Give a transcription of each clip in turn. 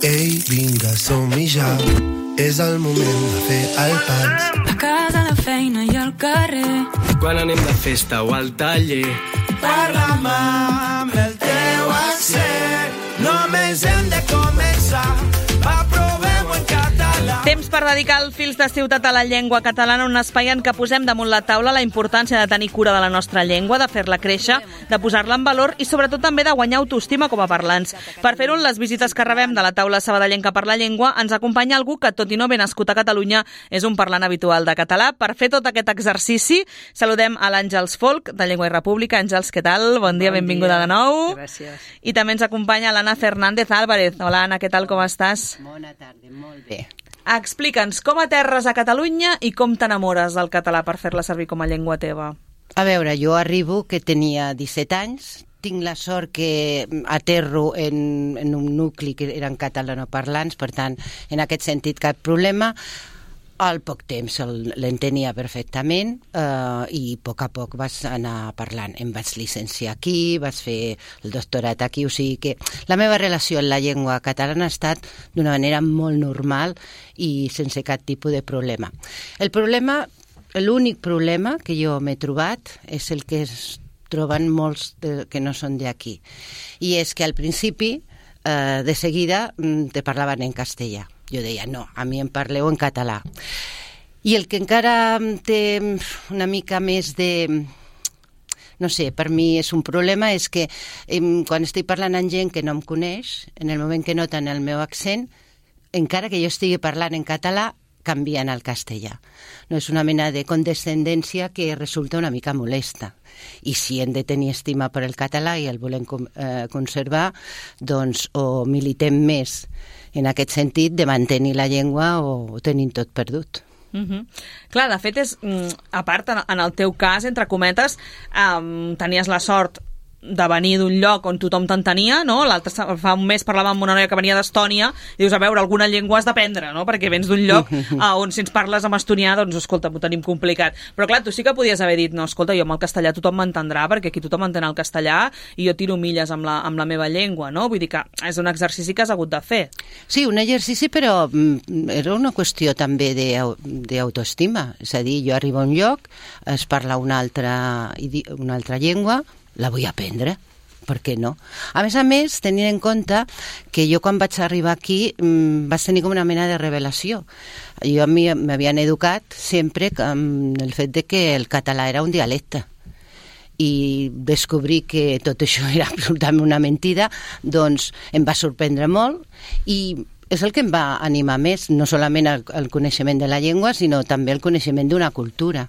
Ei, vinga, som-hi ja. És el moment de fer el pas. A casa, la feina i al carrer. Quan anem de festa o al taller. Parla'm amb el teu accent. Només hem de començar. Va, provem-ho en català. Temps per dedicar el Fils de Ciutat a la llengua catalana, un espai en què posem damunt la taula la importància de tenir cura de la nostra llengua, de fer-la créixer, de posar-la en valor i sobretot també de guanyar autoestima com a parlants. Per fer-ho, en les visites que rebem de la taula sabadellenca per la llengua, ens acompanya algú que, tot i no haver nascut a Catalunya, és un parlant habitual de català. Per fer tot aquest exercici, saludem a l'Àngels Folk, de Llengua i República. Àngels, què tal? Bon dia, benvinguda de nou. Gràcies. I també ens acompanya l'Anna Fernández Álvarez. Hola, Anna, què tal, com estàs? Bona tarda, molt bé. Explica'ns com aterres a Catalunya i com t'enamores del català per fer-la servir com a llengua teva. A veure, jo arribo que tenia 17 anys, tinc la sort que aterro en un nucli que eren catalanoparlants, per tant, en aquest sentit cap problema. Al poc temps l'entenia perfectament i a poc vas anar parlant. Em vaig llicenciar aquí, vaig fer el doctorat aquí, o sigui que la meva relació amb la llengua catalana ha estat d'una manera molt normal i sense cap tipus de problema. L'únic problema que jo m'he trobat és el que es troben molts que no són d'aquí. I és que al principi, de seguida, te parlaven en castellà. Jo deia, no, a mi em parleu en català. I el que encara té una mica més de... No sé, per mi és un problema, és que quan estic parlant amb gent que no em coneix, en el moment que noten el meu accent, encara que jo estigui parlant en català, canvien al castellà. No és una mena de condescendència que resulta una mica molesta. I si hem de tenir estima per el català i el volem conservar, doncs o militem més en aquest sentit de mantenir la llengua o tenim tot perdut. Clar, de fet, a part, en el teu cas, entre cometes, tenies la sort de venir d'un lloc on tothom t'entenia, no? Fa un mes parlàvem amb una noia que venia d'Estònia i dius, a veure, alguna llengua has d'aprendre, no? Perquè vens d'un lloc on si ens parles en estonià, doncs, escolta, ho tenim complicat. Però clar, tu sí que podies haver dit, no, escolta, jo amb el castellà tothom m'entendrà, perquè aquí tothom entén el castellà i jo tiro milles amb la meva llengua, no? Vull dir que és un exercici que has hagut de fer. Sí, un exercici, però era una qüestió també d'autoestima. És a dir, jo arribo a un lloc, es parla una altra llengua, la vull aprendre, per què no? A més, tenint en compte que jo quan vaig arribar aquí vaig tenir com una mena de revelació. Jo a mi m'havien educat sempre amb el fet de que el català era un dialecte i descobrir que tot això era absolutament una mentida, doncs em va sorprendre molt i és el que em va animar més, no solament el coneixement de la llengua, sinó també el coneixement d'una cultura.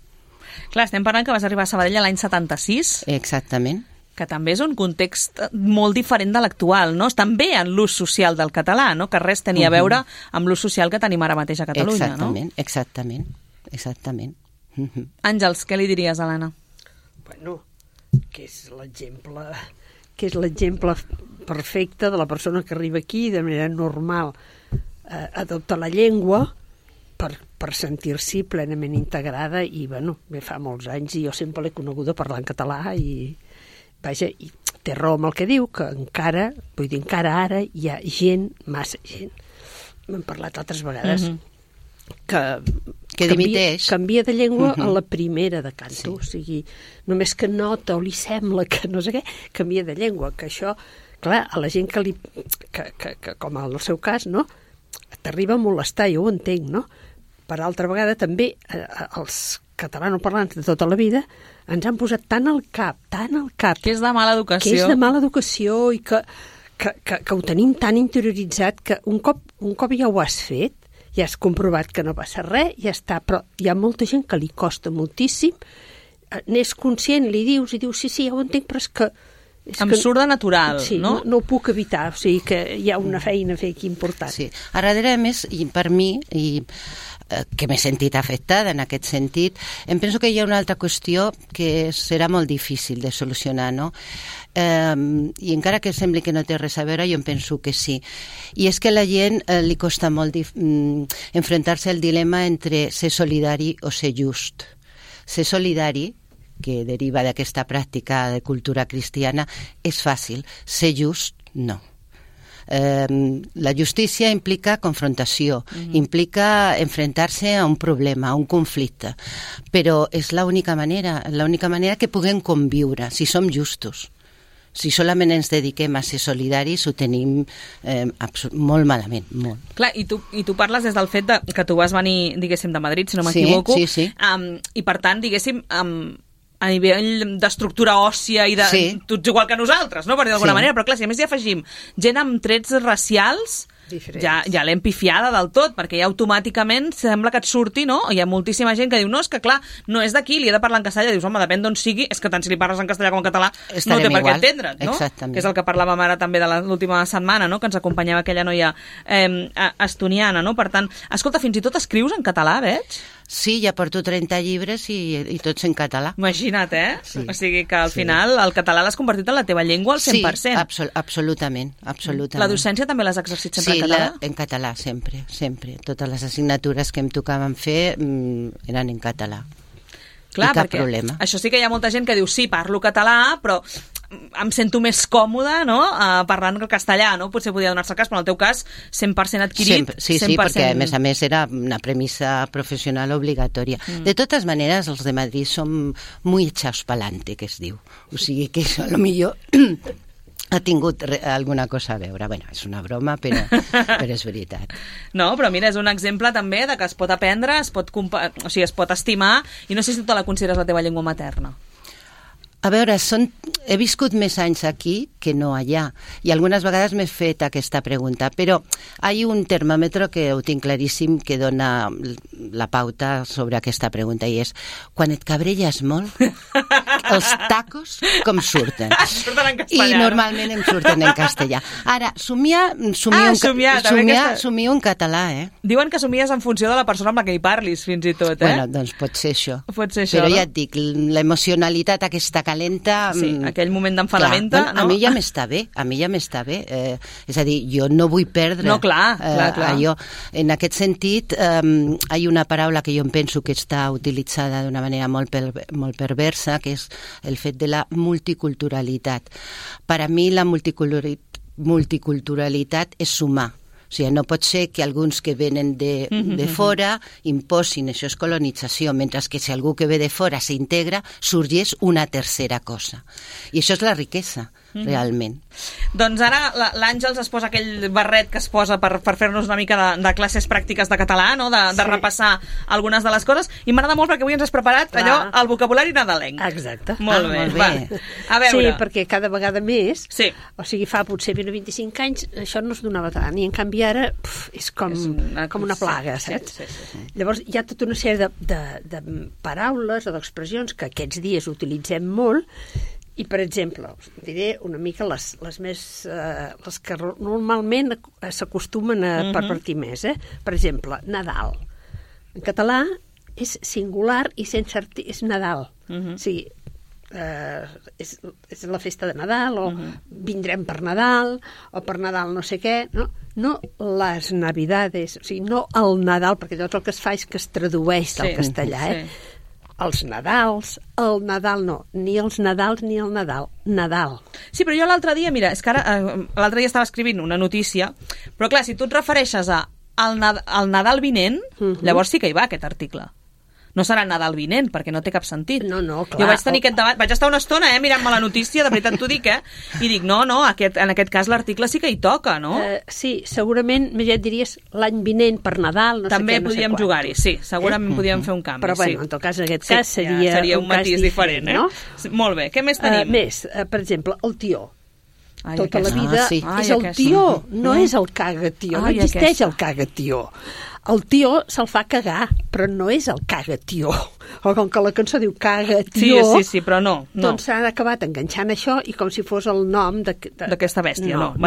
Clar, estem parlant que vas arribar a Sabadell l'any 76. Exactament. Que també és un context molt diferent de l'actual, no? També en l'ús social del català, no? Que res tenia a veure amb l'ús social que tenim ara mateix a Catalunya, no? Exactament. Àngels, què li diries a l'Anna? Bueno, que és l'exemple perfecte de la persona que arriba aquí de manera normal, adopta la llengua per sentir-s'hi plenament integrada i, bueno, fa molts anys i jo sempre l'he coneguda parlant català i, vaja, i té raó amb el que diu, que encara ara hi ha gent, massa gent, m'han parlat altres vegades, que dimiteix. Canvia de llengua a la primera de canto, o sigui, només que nota o li sembla que no sé què, canvia de llengua, que això, clar, a la gent que com en el seu cas, no?, t'arriba a molestar, jo ho entenc, no?, per altra vegada també els catalanoparlants de tota la vida ens han posat tant al cap, que és de mala educació, i que ho tenim tan interioritzat que un cop ja ho has fet, ja has comprovat que no passa res, ja està, però hi ha molta gent que li costa moltíssim, n'és conscient, li dius, sí, ja ho entenc, però és que em surt de natural, sí, no? No ho puc evitar, o sigui que hi ha una feina a fer aquí important. Sí, a darrere, a més, i per mi, que m'he sentit afectada en aquest sentit, em penso que hi ha una altra qüestió que serà molt difícil de solucionar, no? I encara que sembli que no té res a veure, jo em penso que sí. I és que a la gent li costa molt enfrontar-se al dilema entre ser solidari o ser just. Ser solidari, que deriva d'aquesta pràctica de cultura cristiana, és fàcil. Ser just, no. La justícia implica confrontació, implica enfrentar-se a un problema, a un conflicte, però és l'única manera que puguem conviure, si som justos. Si solament ens dediquem a ser solidaris, ho tenim molt malament, molt. Clar, i tu parles des del fet que tu vas venir, diguéssim, de Madrid, si no m'equivoco, sí. I per tant, diguéssim, a nivell d'estructura òssia i de... Sí. Tu ets igual que nosaltres, no? Per dir d'alguna manera, però clar, si a més hi afegim gent amb trets racials, ja l'hem pifiada del tot, perquè ja automàticament sembla que et surti, no? Hi ha moltíssima gent que diu, no, és que clar, no és d'aquí, li he de parlar en castellà. Dius, home, depèn d'on sigui, és que tant si li parles en castellà com en català no té per què entendre't, no? Exactament. Que és el que parlàvem ara també de l'última setmana, no? Que ens acompanyava aquella noia estoniana, no? Per tant, escolta, fins i tot escrius en català, veig? Sí, ja porto 30 llibres i tots en català. Imagina't, Sí. O sigui que al final el català l'has convertit en la teva llengua al 100%. Sí, absolutament. La docència també l'has exercit sempre en català? Sí, en català, sempre. Totes les assignatures que em tocaven fer eren en català. Clar, I cap perquè problema. Això sí que hi ha molta gent que diu, sí, parlo català, però em sento més còmode, no?, parlant el castellà, no? Potser podia donar-se el cas, però en el teu cas 100% adquirit. Sí, 100%... perquè a més era una premissa professional obligatòria. De totes maneres, els de Madrid som muy echados pa'lante, que es diu. O sigui que això, a lo millor ha tingut alguna cosa a veure. Bueno, és una broma, però és veritat. No, però mira, és un exemple també de que es pot aprendre, es pot estimar, i no sé si tu la consideres la teva llengua materna. A veure, he viscut més anys aquí que no allà, i algunes vegades m'he fet aquesta pregunta, però hi ha un termòmetre que ho tinc claríssim que dona la pauta sobre aquesta pregunta, i és, quan et cabrelles molt, els tacos com surten? Surten en castellà. I normalment em surten en castellà. Ara, somio en català, Diuen que somies en funció de la persona amb la que hi parlis, fins i tot, Bueno, doncs pot ser això. Pot ser això, però no? ja et dic, l'emocionalitat aquesta calenta... Sí, aquell moment d'enfadamenta, no? A mi ja m'està bé, és a dir, jo no vull perdre allò. En aquest sentit, hi ha una paraula que jo em penso que està utilitzada d'una manera molt perversa, que és el fet de la multiculturalitat. Per a mi la multiculturalitat és sumar. O sigui, no pot ser que alguns que venen de fora imposin, això és colonització, mentre que si algú que ve de fora s'integra, sorgeix una tercera cosa. I això és la riquesa, realment. Doncs ara l'Àngels es posa aquell barret que es posa per fer-nos una mica de classes pràctiques de català, no? De repassar algunes de les coses, i m'agrada molt perquè avui ens has preparat allò, el vocabulari nadalenc. Exacte. Molt bé. Va. A veure. Sí, perquè cada vegada més, sí. O sigui, fa potser 25 anys, això no es donava tant, i en canvi ara és com una plaga, saps? Sí. Llavors hi ha tota una sèrie de paraules o d'expressions que aquests dies utilitzem molt, i per exemple, us diré una mica les que normalment s'acostumen a pervertir més. Per exemple, Nadal. En català és singular i sense és Nadal. O sigui, és la festa de Nadal, o vindrem per Nadal, o per Nadal no sé què, no les Navidades, o sigui, no el Nadal, perquè tot el que es fa és que es tradueix del castellà, els Nadals, el Nadal no, ni els Nadals ni el Nadal, Nadal. Sí, però jo l'altre dia, mira, és que ara l'altre dia estava escrivint una notícia, però clar, si tu et refereixes al Nadal vinent, llavors sí que hi va aquest article. No serà Nadal vinent, perquè no té cap sentit. No, clar. Jo vaig tenir aquest debat, vaig estar una estona mirant-me la notícia, de veritat t'ho dic, i dic, no, en aquest cas l'article sí que hi toca, no? Sí, segurament, més ja et diries l'any vinent per Nadal, no també sé què, no sé podíem jugar-hi, sí, segurament podíem fer un canvi. Però bueno, en tot cas, en aquest cas seria un matís diferent, no? Molt bé, què més tenim? Per exemple, el tió. Tota la vida és el tió, no és el caga-tió, no existeix el caga-tió. El tió se'l fa cagar, però no és el caga-tió. O com que la cançó diu caga-tió... Sí, però no. Doncs s'han acabat enganxant això i com si fos el nom d'aquesta bèstia, no.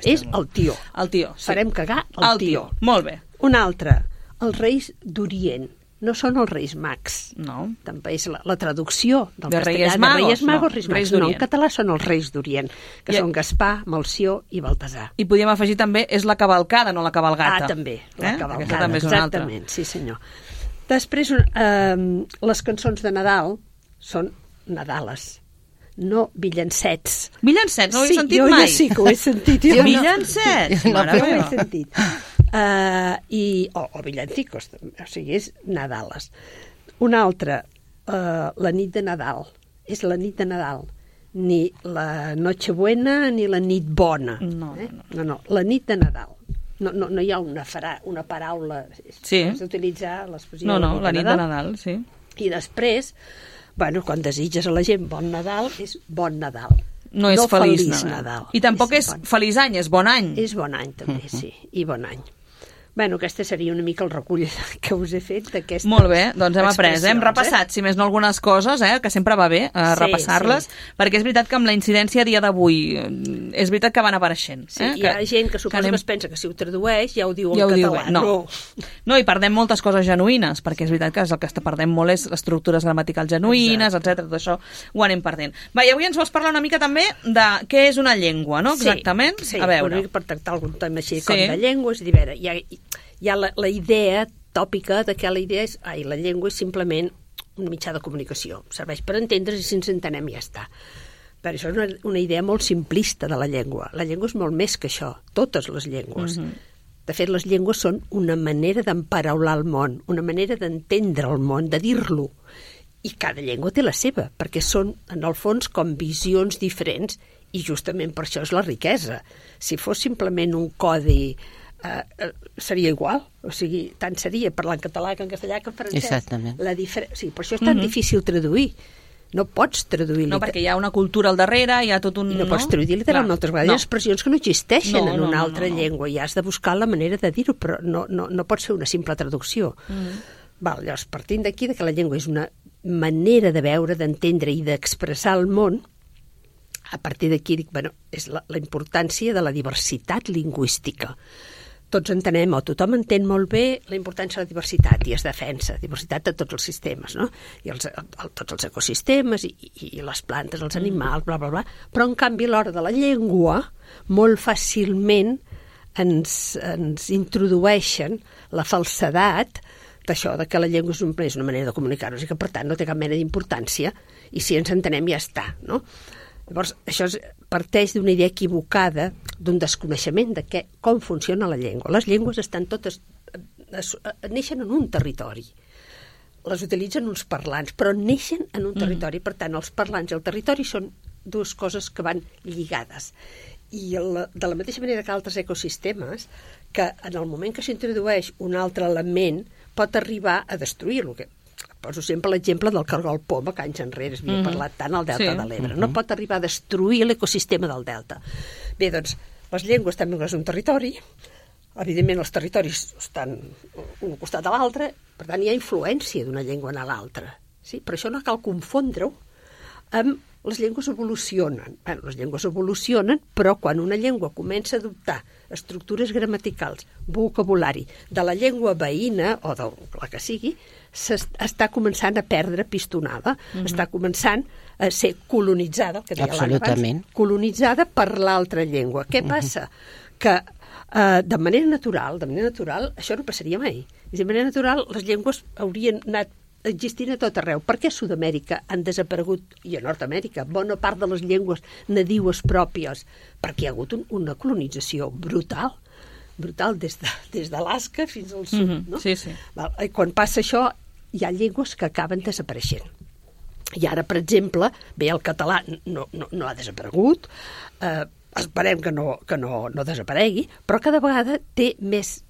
És el tió. El tió, sí. Farem cagar el tió. Molt bé. Un altre, els reis d'Orient. No són els Reis Mags. No. També és la traducció del castellà. Reis Magos, Reis Mags. No, en català són els Reis d'Orient, que són Gaspar, Melcior i Baltasar. I podríem afegir també, és la cavalcada, no la cavalgata. També, la cavalgada, també és exactament, sí senyor. Després, les cançons de Nadal són Nadales. no villancets. Villancets, no ho he sentit mai. mai. Sí, que ho he sentit. Villancets? Mare meva. Ho he sentit. O villancicos, o sigui, és Nadales. Una altra, la nit de Nadal. És la nit de Nadal. Ni la Nochebuena ni la nit bona. No, la nit de Nadal. No hi ha una paraula. Sí. Has d'utilitzar l'expressió. No, la nit de Nadal, sí. I després, quan desitges a la gent bon Nadal, és bon Nadal. No és feliç Nadal. I tampoc és feliç any, és bon any. És bon any, també, sí. I bon any. Aquesta seria una mica el recull que us he fet d'aquesta. Molt bé, doncs hem après, hem repassat, si més no algunes coses, que sempre va bé repassar-les, perquè és veritat que amb la incidència a dia d'avui és veritat que van apareixent. Sí, hi ha gent que suposa que es pensa que si ho tradueix ja ho diu en català. No, i perdem moltes coses genuïnes, perquè és veritat que el que està perdent molt és les estructures gramaticals genuïnes, etc. Tot això ho anem perdent. Va, i avui ens vols parlar una mica també de què és una llengua, no? Exactament? Sí, a veure. Per tractar algun tema així com de llengua, és a dir, a veure, hi ha la idea tòpica de que la llengua és simplement un mitjà de comunicació. Serveix per entendre's i si ens entenem ja està. Però això és una idea molt simplista de la llengua. La llengua és molt més que això, totes les llengües. De fet, les llengües són una manera d'emparaular el món, una manera d'entendre el món, de dir-lo. I cada llengua té la seva, perquè són, en el fons, com visions diferents, i justament per això és la riquesa. Si fos simplement un codi seria igual, o sigui, tant seria parlar en català que en castellà que en francès. Exactament. Sí, per això és tan difícil traduir. No pots traduir. No, perquè hi ha una cultura al darrere, hi ha tot un... I no pots traduir literalment moltes vegades. Hi ha expressions que no existeixen en una altra llengua i has de buscar la manera de dir-ho, però no pot ser una simple traducció. Llavors, partint d'aquí, que la llengua és una manera de veure, d'entendre i d'expressar el món, a partir d'aquí dic, és la importància de la diversitat lingüística. Tots entenem, o tothom entén molt bé la importància de la diversitat i es defensa, diversitat de tots els sistemes, no? I tots els ecosistemes i les plantes, els animals, bla, bla, bla. Però, en canvi, a l'hora de la llengua, molt fàcilment ens introdueixen la falsedat d'això, de que la llengua és una manera de comunicar-nos i que, per tant, no té cap mena d'importància i si ens entenem ja està, no? Llavors, això parteix d'una idea equivocada, d'un desconeixement de com funciona la llengua. Les llengües estan totes... neixen en un territori. Les utilitzen uns parlants, però neixen en un territori. Per tant, els parlants i el territori són dues coses que van lligades. I de la mateixa manera que altres ecosistemes, que en el moment que s'introdueix un altre element pot arribar a destruir-lo. Poso sempre l'exemple del cargol poma, que anys enrere es havia parlat tant al Delta de l'Ebre. No pot arribar a destruir l'ecosistema del Delta. Bé, doncs, les llengües també és un territori. Evidentment, els territoris estan un costat a l'altre, per tant, hi ha influència d'una llengua a l'altra. Sí? Per això no cal confondre-ho amb les llengües evolucionen. Les llengües evolucionen, però quan una llengua comença a adoptar estructures gramaticals, vocabulari, de la llengua veïna, o de la que sigui, està començant a perdre pistonada, està començant a ser colonitzada, que deia abans, colonitzada per l'altra llengua. Què passa? Que de manera natural, això no passaria mai. De manera natural, les llengües haurien anat existint a tot arreu. Per què a Sud-amèrica han desaparegut, i a Nord-amèrica, bona part de les llengües nadiues pròpies? Perquè hi ha hagut una colonització brutal des d'Alaska fins al sud. No? Sí. I quan passa això, hi ha llengües que acaben desapareixent. I ara, per exemple, el català no ha desaparegut, esperem que no desaparegui, però cada vegada té més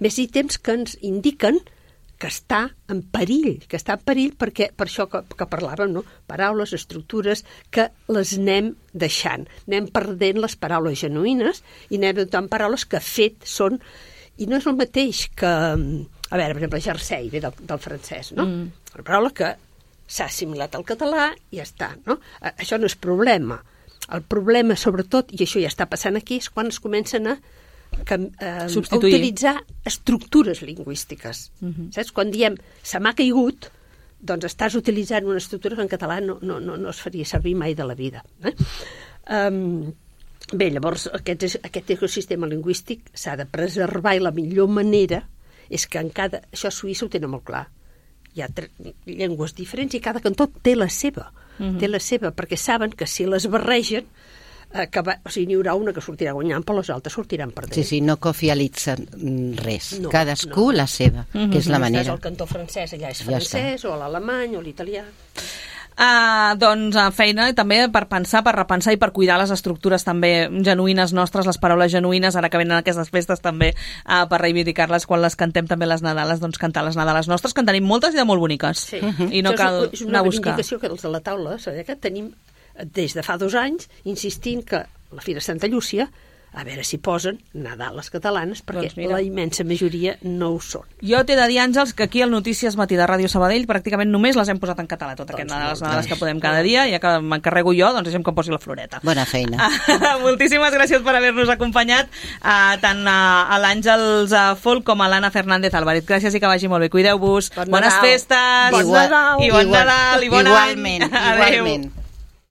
ítems que ens indiquen que està en perill, perquè per això que parlàvem, no? Paraules, estructures, que les anem deixant. Anem perdent les paraules genuïnes i anem adoptant paraules que fet són... I no és el mateix que... A veure, per exemple, jersei, ve del francès, no? Una paraula que s'ha assimilat al català i ja està, no? Això no és problema. El problema, sobretot, i això ja està passant aquí, és quan es comencen a utilitzar estructures lingüístiques. Saps? Quan diem se m'ha caigut, doncs estàs utilitzant una estructura que en català no es faria servir mai de la vida. Bé, llavors aquest ecosistema lingüístic s'ha de preservar i la millor manera és que això a Suïssa ho tenen molt clar. Hi ha llengües diferents i cada cantó té la seva. té la seva, perquè saben que si les barregen, o sigui, n'hi haurà una que sortirà guanyant, però les altres sortiran perdent. Sí, no cofialitzen res. Cadascú la seva, que és la manera. El cantó francès allà és francès, o l'alemany, o l'italià. Doncs feina també per pensar, per repensar i per cuidar les estructures també genuïnes nostres, les paraules genuïnes, ara que venen aquestes festes també per reivindicar-les quan les cantem també les Nadales, doncs cantar les Nadales nostres, que en tenim moltes i de molt boniques. Sí. I no cal és una anar a buscar. reivindicació que els de la taula que tenim des de fa 2 anys insistint que la Fira Santa Llúcia, a veure si posen Nadales catalanes, perquè doncs la immensa majoria no ho són. Jo t'he de dir, Àngels, que aquí al Notícies Matí de Ràdio Sabadell pràcticament només les hem posat en català, tot aquest les Nadales que podem cada dia, ja que m'encarrego jo, doncs deixem que em posi la floreta. Bona feina. Moltíssimes gràcies per haver-nos acompanyat, tant a l'Àngels Folk com a l'Anna Fernández Álvarez. Gràcies i que vagi molt bé. Cuideu-vos. Bones festes. Bon Nadal. I bon Nadal. I bon any. Igualment.